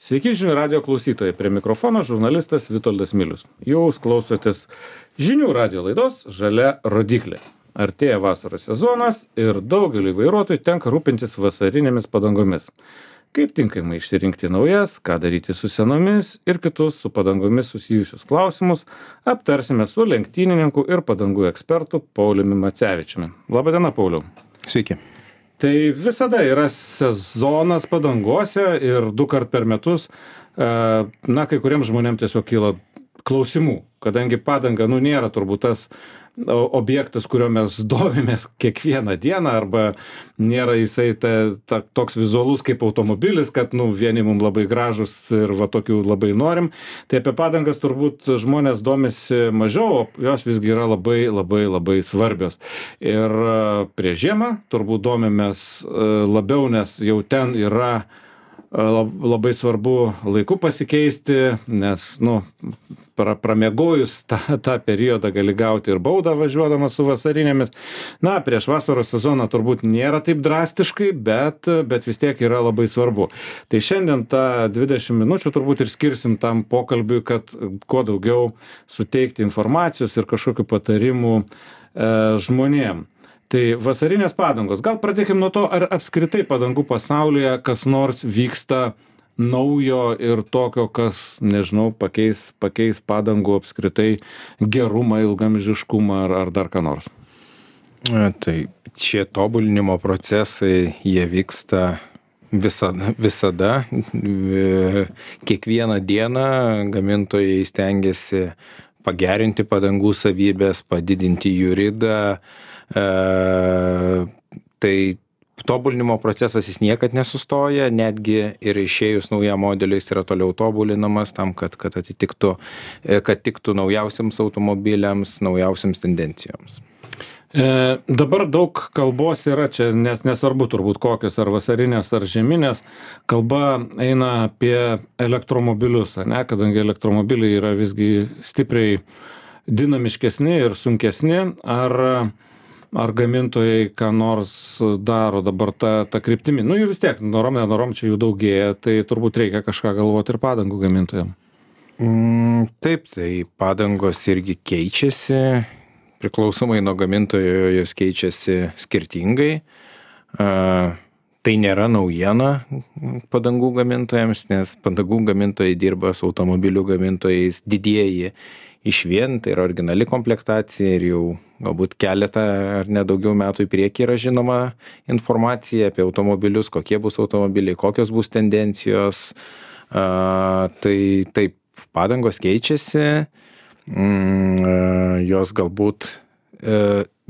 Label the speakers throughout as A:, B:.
A: Sveiki žinių radio klausytojai, prie mikrofono žurnalistas Vitoldas Milius. Jūs klausotės žinių radio laidos Žalia rodyklė. Artėja vasaros sezonas ir daugeliui vairuotojų tenka rūpintis vasarinėmis padangomis. Kaip tinkamai išsirinkti naujas, ką daryti su senomis ir kitus su padangomis susijusius klausimus aptarsime su lenktynininku ir padangų ekspertu Pauliumi Macevičiumi. Labadiena, Pauliau.
B: Sveiki.
A: Tai visada yra sezonas padangose ir 2 kart per metus, kai kuriems žmonėms tiesiog kyla klausimų, kadangi padanga, nėra turbūt tas objektas, kurio mes domimės kiekvieną dieną, arba nėra jisai toks vizualus kaip automobilis, kad vieni mums labai gražus ir tokių labai norim. Tai apie padangas turbūt žmonės domisi mažiau, o jos visgi yra labai, labai, labai svarbios. Ir prieš žiemą turbūt domimės labiau, nes jau ten yra labai svarbu laiku pasikeisti, nes, pramiegojus tą periodą gali gauti ir baudą važiuodamas su vasarinėmis. Prieš vasaros sezoną turbūt nėra taip drastiškai, bet vis tiek yra labai svarbu. Tai šiandien tą 20 minučių turbūt ir skirsim tam pokalbiui, kad kuo daugiau suteikti informacijos ir kažkokių patarimų žmonėm. Tai vasarinės padangos. Gal pradėkim nuo to, ar apskritai padangų pasaulyje kas nors vyksta naujo ir tokio, kas, nežinau, pakeis padangų apskritai gerumą, ilgamžiškumą ar dar ką nors.
B: Tai šie tobulinimo procesai, jie vyksta visada. Kiekvieną dieną gamintojai stengiasi pagerinti padangų savybės, padidinti jų ridą. Tai tobulinimo procesas jis niekad nesustoja, netgi ir išėjus naujam modeliui jis yra toliau tobulinamas tam, kad tiktų naujausiams automobiliams, naujausiams tendencijoms.
A: Dabar daug kalbos yra čia, nes nesvarbu turbūt kokios, ar vasarinės, ar žieminės, kalba eina apie elektromobilius, kadangi elektromobiliai yra visgi stipriai dinamiškesni ir sunkesni, ar gamintojai ką nors daro dabar tą kryptimį. Jų vis tiek, norom čia jų daugėja, tai turbūt reikia kažką galvoti ir padangų gamintojams.
B: Taip, tai padangos irgi keičiasi, priklausomai nuo gamintojo jos keičiasi skirtingai. Tai nėra naujiena padangų gamintojams, nes padangų gamintojai dirba su automobilių gamintojais didieji išvien, tai yra originali komplektacija ir jau galbūt keletą ar nedaugiau metų į priekį yra žinoma informacija apie automobilius, kokie bus automobiliai, kokios bus tendencijos. Tai taip, padangos keičiasi, jos galbūt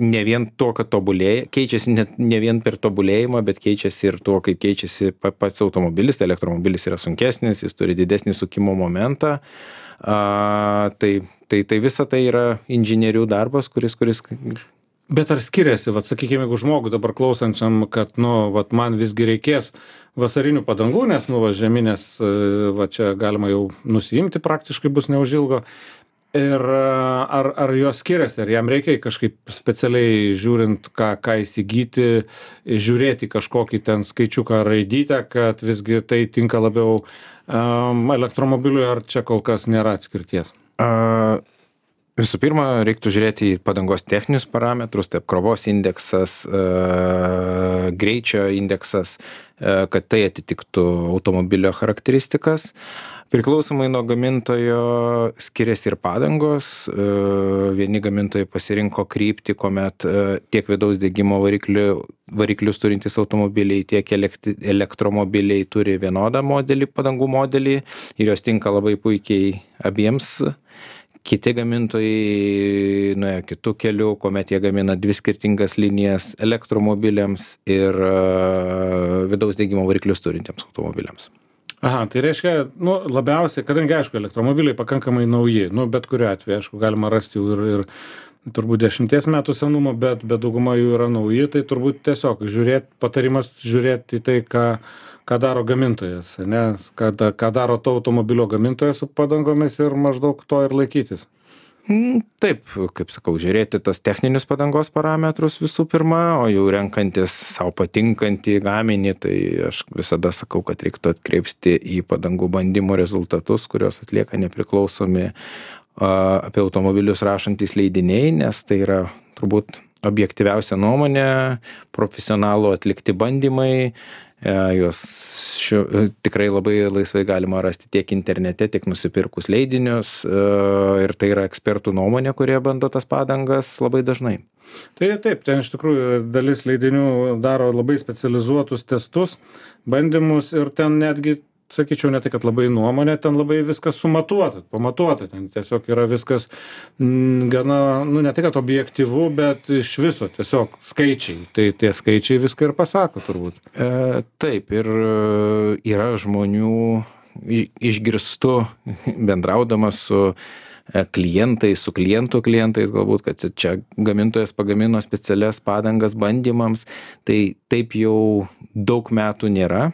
B: ne vien to, kad tobulėja, keičiasi ne vien per tobulėjimą, bet keičiasi ir to, kaip keičiasi pats automobilis. Tai elektromobilis yra sunkesnis, jis turi didesnį sukimo momentą. Tai visa tai yra inžinierių darbas, kuris...
A: Bet ar skiriasi, sakykime, jeigu žmogui dabar klausančiam, kad, man visgi reikės vasarinių padangų, nes, žeminės, čia galima jau nusiimti praktiškai bus neužilgo. Ir ar jos skiriasi, ar jam reikia kažkaip specialiai žiūrint, ką įsigyti, žiūrėti kažkokį ten skaičiuką raidytę, kad visgi tai tinka labiau elektromobiliui, ar čia kol kas nėra atskirties?
B: Visų pirma, reiktų žiūrėti į padangos techninius parametrus, taip krovos indeksas, greičio indeksas, kad tai atitiktų automobilio charakteristikas. Priklausomai nuo gamintojo skiriasi ir padangos. Vieni gamintojai pasirinko kryptį, kuomet tiek vidaus degimo variklius turintys automobiliai, tiek elektromobiliai turi vienodą padangų modelį ir jos tinka labai puikiai abiems. Kiti gamintojai nuėjo kitų kelių, kuomet jie gamina 2 skirtingas linijas elektromobiliams ir vidaus degimo variklius turintiems automobiliams.
A: Aha, tai reiškia, labiausiai, kadangi, aišku, elektromobiliai pakankamai nauji, bet kuriuo atveju, aišku, galima rasti ir turbūt 10 metų senumo, bet dauguma jų yra nauji, tai turbūt tiesiog patarimas žiūrėti į tai, ką daro gamintojas, ką daro to automobilio gamintojas su padangomis ir maždaug to ir laikytis.
B: Taip, kaip sakau, žiūrėti tos techninius padangos parametrus visų pirma, o jau renkantis savo patinkantį gaminį, tai aš visada sakau, kad reiktų atkreipti į padangų bandymų rezultatus, kurios atlieka nepriklausomi apie automobilius rašantis leidiniai, nes tai yra turbūt objektyviausia nuomonė, profesionalų atlikti bandymai, juos tikrai labai laisvai galima rasti tiek internete, tiek nusipirkus leidinius, ir tai yra ekspertų nuomonė, kurie bando tas padangas labai dažnai.
A: Tai taip, ten iš tikrųjų dalis leidinių daro labai specializuotus testus, bandymus ir ten netgi, sakyčiau, ne tai, kad labai nuomonė, ten labai viskas pamatuota, ten tiesiog yra viskas gana, ne tai, kad objektyvu, bet iš viso tiesiog skaičiai, tai tie skaičiai viską ir pasako turbūt.
B: Taip, ir yra žmonių, išgirstu bendraudamas su klientais, su klientų klientais, galbūt, kad čia gamintojas pagamino specialias padangas bandymams, tai taip jau daug metų nėra.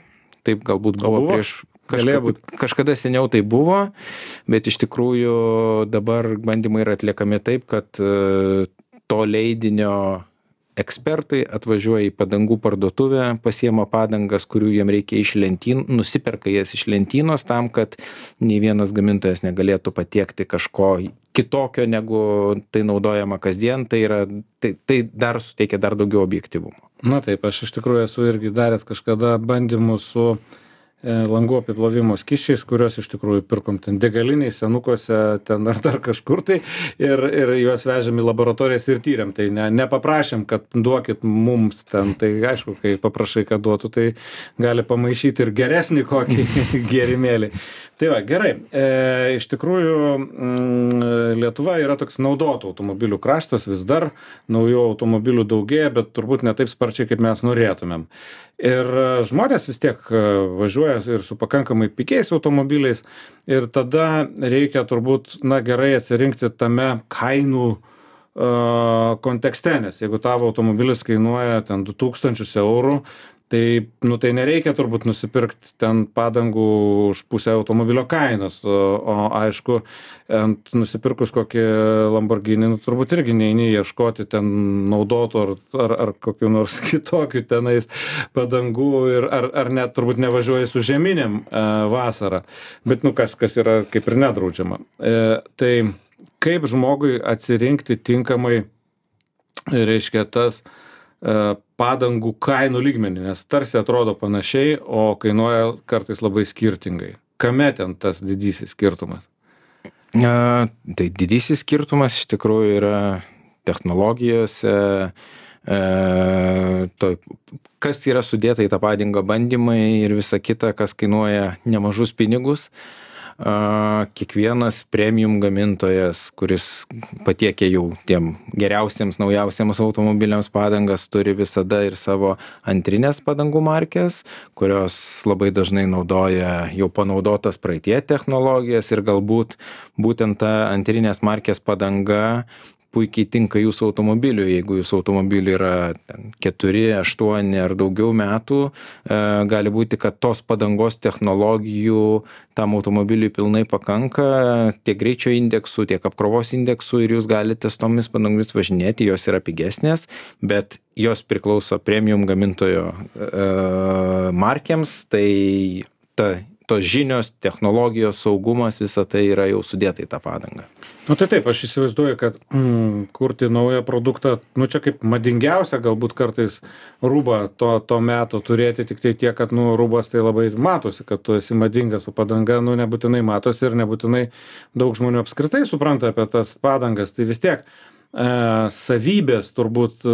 B: Taip galbūt buvo prieš kažkada seniau tai buvo, bet iš tikrųjų dabar bandymai yra atliekami taip, kad to leidinio ekspertai atvažiuoja į padangų parduotuvę, pasiema padangas, kurių jiem reikia iš lentynų, nusiperka jas iš lentynos tam, kad nei vienas gamintojas negalėtų patiekti kažko kitokio, negu tai naudojama kasdien, tai dar suteikia dar daugiau objektyvumo.
A: Na taip, aš iš tikrųjų esu irgi daręs kažkada bandymus su langų apiplovimo skysčiais, kuriuos iš tikrųjų pirkom ten degaliniai, senukuose, ten ar dar kažkur tai, ir juos vežėm į laboratorijas ir tyrėm. Tai nepaprašėm, kad duokit mums ten, tai aišku, kai paprašai, kad duotų, tai gali pamaišyti ir geresnį kokį gėrimėlį. Tai va, gerai, iš tikrųjų Lietuva yra toks naudotų automobilių kraštas, vis dar naujų automobilių daugėja, bet turbūt ne taip sparčiai, kaip mes norėtumėm. Ir žmonės vis tiek važiuoja ir su pakankamai pigiais automobiliais ir tada reikia turbūt, gerai atsirinkti tame kainų kontekste, nes jeigu tavo automobilis kainuoja ten 2000 eurų, tai nereikia turbūt nusipirkti ten padangų už pusę automobilio kainos, o aišku, nusipirkus kokį Lamborghini, turbūt irgi neini ieškoti ten naudotų ar kokių nors kitokių tenais padangų ir ar net turbūt nevažiuoji su žieminėm vasarą, bet kas yra kaip ir nedraudžiama. Tai kaip žmogui atsirinkti tinkamai, reiškia, tas padangų kainų lygmenį, nes tarsi atrodo panašiai, o kainuoja kartais labai skirtingai. Kame ten tas didysis skirtumas?
B: Tai didysis skirtumas iš tikrųjų yra technologijose, kas yra sudėta į tą padangą bandymai ir visa kita, kas kainuoja nemažus pinigus. Kiekvienas premium gamintojas, kuris patiekia jau tiem geriausiems, naujausiams automobiliams padangas, turi visada ir savo antrinės padangų markės, kurios labai dažnai naudoja jau panaudotas praeitie technologijas ir galbūt būtent ta antrinės markės padanga puikiai tinka jūsų automobiliui. Jeigu jūsų automobiliui yra 4, 8 ar daugiau metų, gali būti, kad tos padangos technologijų tam automobiliui pilnai pakanka, tiek greičio indeksų, tiek apkrovos indeksų ir jūs galite su tomis padangomis važinėti, jos yra pigesnės, bet jos priklauso premium gamintojo markėms, tai tos žinios, technologijos, saugumas, visa tai yra jau sudėta į tą padangą.
A: Tai taip, aš įsivaizduoju, kad kurti naują produktą, čia kaip madingiausia galbūt kartais rūbą to meto turėti, tik tai tiek, kad rūbas tai labai matosi, kad tu esi madingas, o padanga nebūtinai matosi ir nebūtinai daug žmonių apskritai supranta apie tas padangas, tai vis tiek savybės turbūt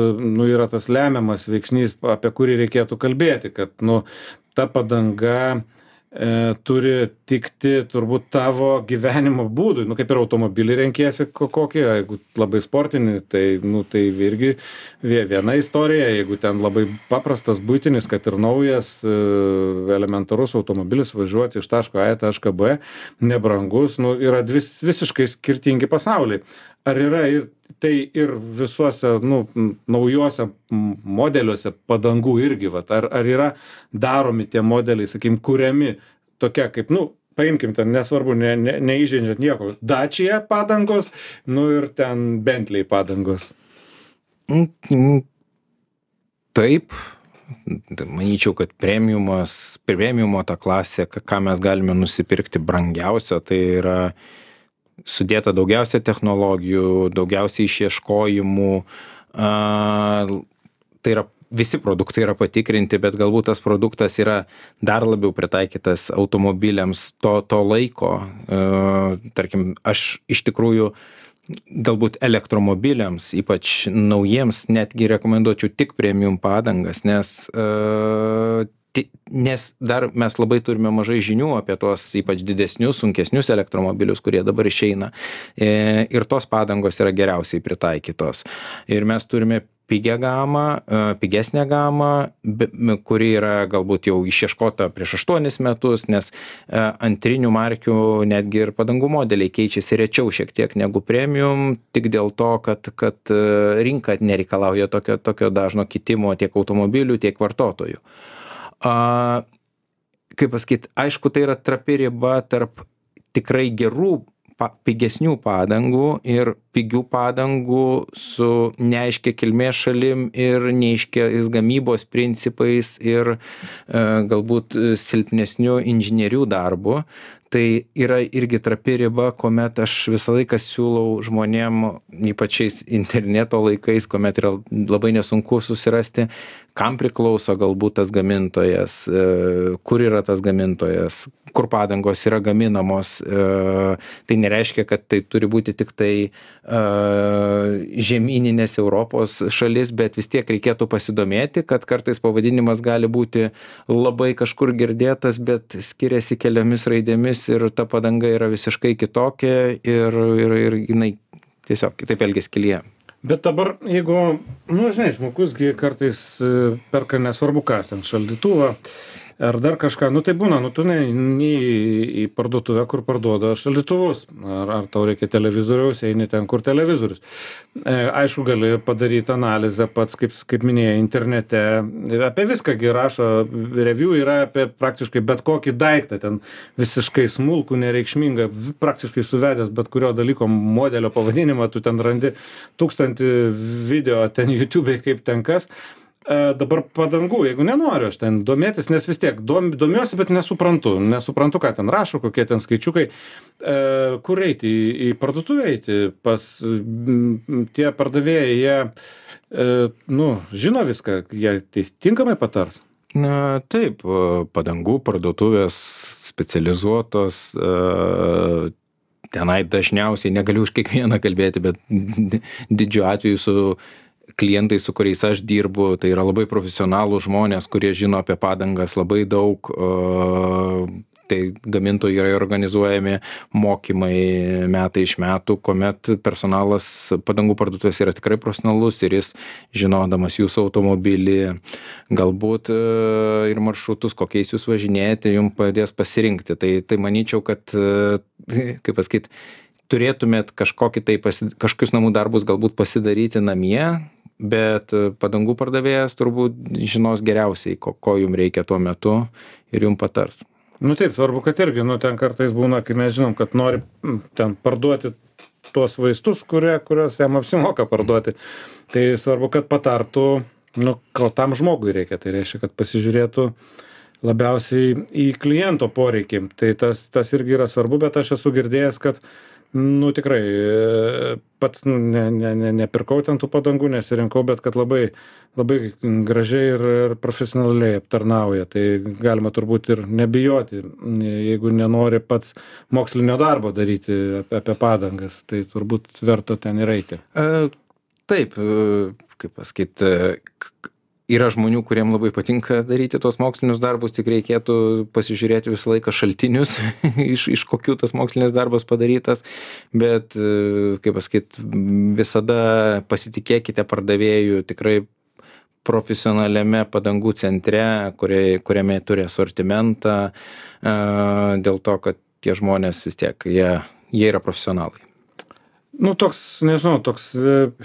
A: yra tas lemiamas veiksnys, apie kurį reikėtų kalbėti, kad ta padanga turi tikti turbūt tavo gyvenimo būdui, kaip ir automobilį renkiesi kokį, jeigu labai sportinį, tai irgi viena istorija, jeigu ten labai paprastas buitinis, kad ir naujas elementarus automobilis važiuoti iš taško A į tašką B, nebrangus, yra visiškai skirtingi pasauliai. Ar yra tai ir visuose naujuose modeliuose padangų irgi, ar yra daromi tie modeliai, sakykim, kuriami tokia kaip, paimkim ten, nesvarbu, neįžeidžiant nieko, Dacia padangos, nu ir ten Bentley padangos.
B: Taip, manyčiau, kad premiumo ta klasė, ką mes galime nusipirkti brangiausio, tai yra sudėta daugiausia technologijų, daugiausiai išieškojimų, tai yra visi produktai yra patikrinti, bet galbūt tas produktas yra dar labiau pritaikytas automobiliams to laiko. Tarkim, aš iš tikrųjų galbūt elektromobiliams, ypač naujiems, netgi rekomenduočiau tik premium padangas, nes dar mes labai turime mažai žinių apie tuos ypač didesnius, sunkesnius elektromobilius, kurie dabar išeina. Ir tos padangos yra geriausiai pritaikytos. Ir mes turime pigesnę gamą, kuri yra galbūt jau išieškota prieš 8 metus, nes antrinių markių netgi ir padangų modeliai keičiasi rečiau šiek tiek negu premium, tik dėl to, kad rinka nereikalauja tokio dažno kitimo tiek automobilių, tiek vartotojų. Kaip pasakyti, aišku, tai yra trapi riba tarp tikrai gerų pigesnių padangų ir pigių padangų su neaiškia kilmės šalim ir neaiškiais gamybos principais ir galbūt silpnesnių inžinierių darbu. Tai yra irgi trapi riba, kuomet aš visą laiką siūlau žmonėm, ypač šiais interneto laikais, kuomet yra labai nesunku susirasti, kam priklauso galbūt tas gamintojas, kur yra tas gamintojas, kur padangos yra gaminamos. Tai nereiškia, kad tai turi būti tik tai žemyninės Europos šalis, bet vis tiek reikėtų pasidomėti, kad kartais pavadinimas gali būti labai kažkur girdėtas, bet skiriasi keliomis raidėmis ir ta padanga yra visiškai kitokia ir jinai tiesiog kitaip elgiasi kelyje.
A: Bet dabar, jeigu, žinai, žmogus kartais perka nesvarbu ką, ten šaldytuvą ar dar kažką, tai būna, tu neini į parduotuvę, kur parduoda šaldytuvus, ar tau reikia televizoriaus, eini ten, kur televizorius. Aišku, gali padaryti analizę pats, kaip minėjai, internete, apie viską rašo, review yra apie praktiškai bet kokį daiktą, ten visiškai smulkų, nereikšmingą, praktiškai suvedęs bet kurio dalyko modelio pavadinimą, tu ten randi 1000 video, ten YouTube'ai kaip ten kas. Dabar padangų, jeigu nenoriu aš ten domėtis, nes vis tiek domiuosi, bet nesuprantu, ką ten rašo, kokie ten skaičiukai, kur eiti, į parduotuvę eiti, pas tie pardavėjai, jie, žino viską, jie tinkamai patars.
B: Taip, padangų parduotuvės specializuotos, tenai dažniausiai, negaliu už kiekvieną kalbėti, bet didžiu atveju su klientai, su kuriais aš dirbu, tai yra labai profesionalūs žmonės, kurie žino apie padangas labai daug. Tai gamintojų yra organizuojami mokymai metai iš metų, kuomet personalas padangų parduotuvės yra tikrai profesionalus ir jis, žinodamas jūsų automobilį, galbūt ir maršrutus, kokiais jūs važinėjate, jums padės pasirinkti. Tai manyčiau, kad, kaip pasakyti, turėtumėt kažkokius namų darbus galbūt pasidaryti namie, bet padangų pardavėjas turbūt žinos geriausiai, ko jums reikia tuo metu ir jums patars.
A: Taip, svarbu, kad irgi, ten kartais būna, kai mes žinom, kad nori ten parduoti tuos vaistus, kuriuos jam apsimoka parduoti. Tai svarbu, kad patartų, ko tam žmogui reikia. Tai reiškia, kad pasižiūrėtų labiausiai į kliento poreikį. Tai tas irgi yra svarbu, bet aš esu girdėjęs, kad tikrai pats nepirkau ten tų padangų, nesirinkau, bet kad labai, labai gražiai ir profesionaliai aptarnauja. Tai galima turbūt ir nebijoti, jeigu nenori pats mokslinio darbo daryti apie padangas, tai turbūt verta ten ir eiti.
B: Taip, kaip pasakyti, yra žmonių, kuriem labai patinka daryti tos mokslinius darbus, tik reikėtų pasižiūrėti visą laiką šaltinius, iš kokių tas mokslinis darbas padarytas, bet, kaip pasakyti, visada pasitikėkite pardavėjų tikrai profesionaliame padangų centre, kuriame turi asortimentą, dėl to, kad tie žmonės vis tiek, jie yra profesionalai.
A: Toks, nežinau, toks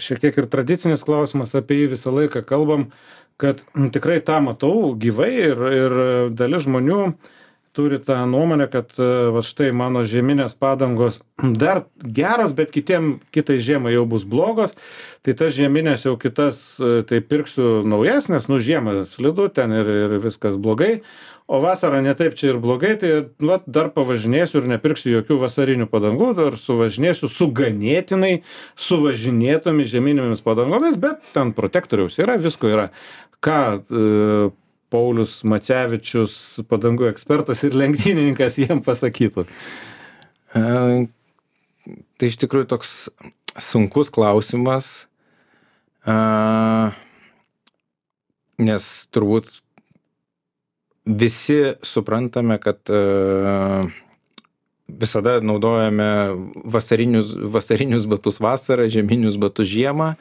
A: šiek tiek ir tradicinis klausimas, apie jį visą laiką kalbam, kad tikrai tą matau gyvai ir dalis žmonių turi tą nuomonę, kad va štai mano žieminės padangos dar geros, bet kitai žiemai jau bus blogos, tai tas žieminės jau kitas, tai pirksiu naujesnės, nu žiemą slidu ten ir viskas blogai, o vasarą netaip čia ir blogai, tai va, dar pavažinėsiu ir nepirksiu jokių vasarinių padangų, dar suvažinėsiu su ganėtinai suvažinėtomis žieminėmis padangomis, bet ten protektoriaus yra, visko yra. Ką Paulius Macevičius, padangų ekspertas ir lenktynininkas, jiem pasakytų?
B: Tai iš tikrųjų toks sunkus klausimas, nes turbūt visi suprantame, kad visada naudojame vasarinius batus vasarą, žieminius batus žiemą,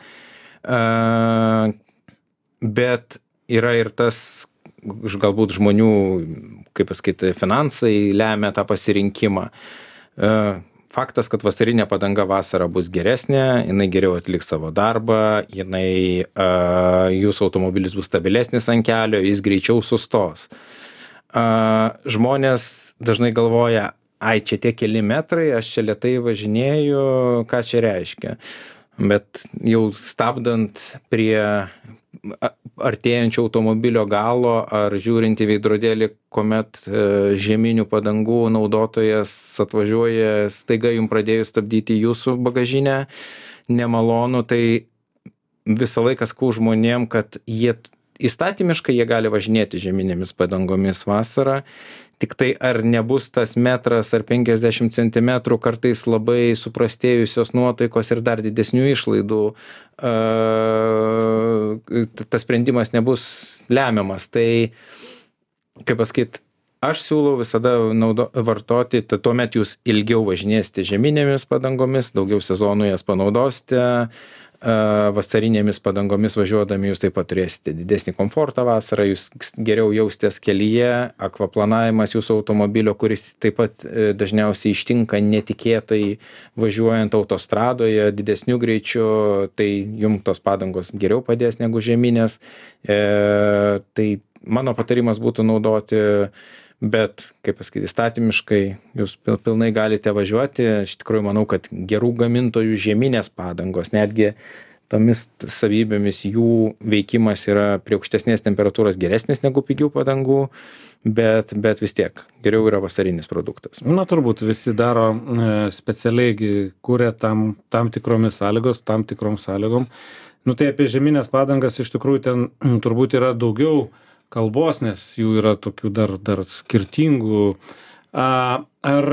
B: bet yra ir tas galbūt žmonių, kaip pasakyti, finansai lemia tą pasirinkimą. Faktas, kad vasarinė padanga vasarą bus geresnė, jinai geriau atliks savo darbą, jūsų automobilis bus stabilesnis ant kelio, jis greičiau sustos. Žmonės dažnai galvoja, ai, čia tie keli metrai, aš čia lėtai važinėju, ką čia reiškia. Bet jau stabdant prie artėjančio automobilio galo ar žiūrint į veidrodėlį, kuomet žieminių padangų naudotojas atvažiuoja, staiga jums pradėjus stabdyti jūsų bagažinę, nemalonu, tai visą laiką sakau žmonėm, kad įstatymiškai jie gali važinėti žieminėmis padangomis vasarą, tik tai ar nebus tas metras ar 50 centimetrų kartais labai suprastėjusios nuotaikos ir dar didesnių išlaidų, tas sprendimas nebus lemiamas. Tai, kaip pasakyt, aš siūlau visada vartoti, tai tuomet jūs ilgiau važinėsite žieminėmis padangomis, daugiau sezonų jas panaudosite, vasarinėmis padangomis važiuodami jūs taip pat turėsite didesnį komfortą vasarą, jūs geriau jaustės kelyje, akvaplanavimas jūsų automobilio, kuris taip pat dažniausiai ištinka netikėtai važiuojant autostradoje didesniu greičiu, tai jums tos padangos geriau padės negu žieminės. Tai mano patarimas būtų naudoti, bet, kaip pasakyti, įstatymiškai jūs pilnai galite važiuoti. Iš tikrųjų manau, kad gerų gamintojų žieminės padangos, netgi tomis savybėmis jų veikimas yra prie aukštesnės temperatūros geresnis negu pigių padangų, bet vis tiek geriau yra vasarinis produktas.
A: Na, turbūt visi daro specialiai, kuria tam tikromis sąlygos, tam tikrom sąlygom. Nu, tai apie žieminės padangas iš tikrųjų ten turbūt yra daugiau kalbos, nes jų yra tokių dar skirtingų. Ar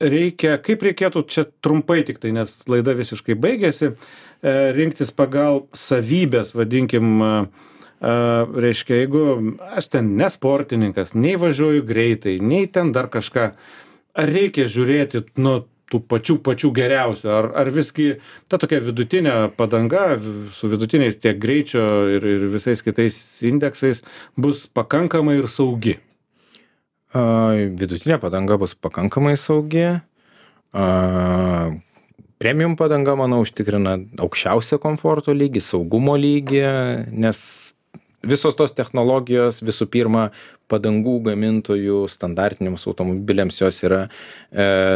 A: reikia, kaip reikėtų čia trumpai tik tai, nes laida visiškai baigėsi, rinktis pagal savybės, vadinkim, reiškia, jeigu aš ten nesportininkas, nei važiuoju greitai, nei ten dar kažką, ar reikia žiūrėti nuo tų pačių geriausių, ar visgi ta tokia vidutinė padanga su vidutiniais tiek greičio ir visais kitais indeksais bus pakankamai ir saugi?
B: Vidutinė padanga bus pakankamai saugi. Premium padanga, manau, užtikrina aukščiausią komforto lygį, saugumo lygį, nes visos tos technologijos, visų pirma, padangų gamintojų standartiniams automobiliams jos yra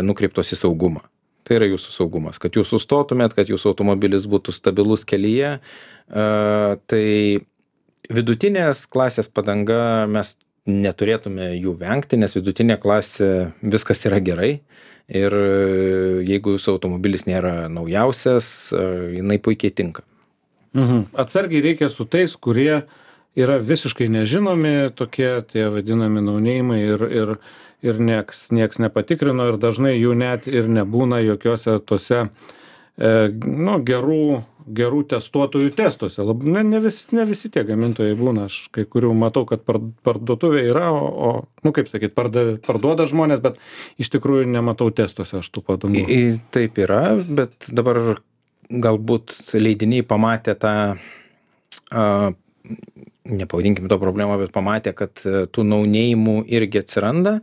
B: nukreiptos į saugumą. Tai yra jūsų saugumas. Kad jūs sustotumėt, kad jūsų automobilis būtų stabilus kelyje. Tai vidutinės klasės padanga mes neturėtume jų vengti, nes vidutinė klasė viskas yra gerai. Ir jeigu jūsų automobilis nėra naujausias, jinai puikiai tinka.
A: Atsargiai reikia su tais, kurie yra visiškai nežinomi, tokie tie vadinami naunėjimai ir nieks nepatikrino ir dažnai jų net ir nebūna jokiuose tose gerų testuotojų testuose. Ne visi tie gamintojai būna, aš kai kurių matau, kad parduotuvė yra, kaip sakyt, parduoda žmonės, bet iš tikrųjų nematau testuose aš tų padangų.
B: Taip yra, bet dabar galbūt leidiniai pamatė tą nepavadinkim to problemą, bet pamatė, kad tų naunėjimų irgi atsiranda.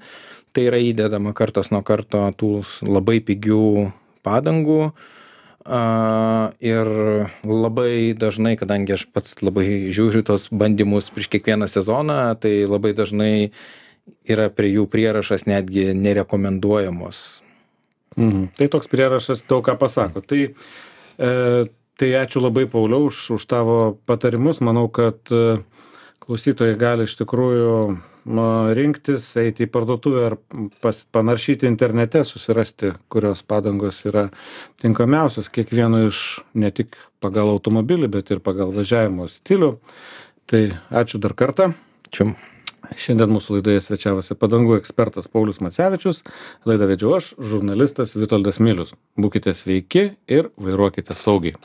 B: Tai yra įdedama kartas nuo karto tų labai pigių padangų. Ir labai dažnai, kadangi aš pats labai žiūriu tos bandymus prieš kiekvieną sezoną, tai labai dažnai yra prie jų prierašas netgi nerekomenduojamos.
A: Tai toks prierašas daug ką pasako. Tai ačiū labai, Pauliau, už tavo patarimus. Manau, kad klausytojai gali iš tikrųjų rinktis, eiti į parduotuvę ar panaršyti internete, susirasti, kurios padangos yra tinkamiausios kiekvieno iš, ne tik pagal automobilį, bet ir pagal važiavimo stilių. Tai ačiū dar kartą.
B: Ačiū.
A: Šiandien mūsų laidoje svečiavosi padangų ekspertas Paulius Macevičius. Laidą vedžiau aš, žurnalistas Vitoldas Milius. Būkite sveiki ir vairuokite saugiai.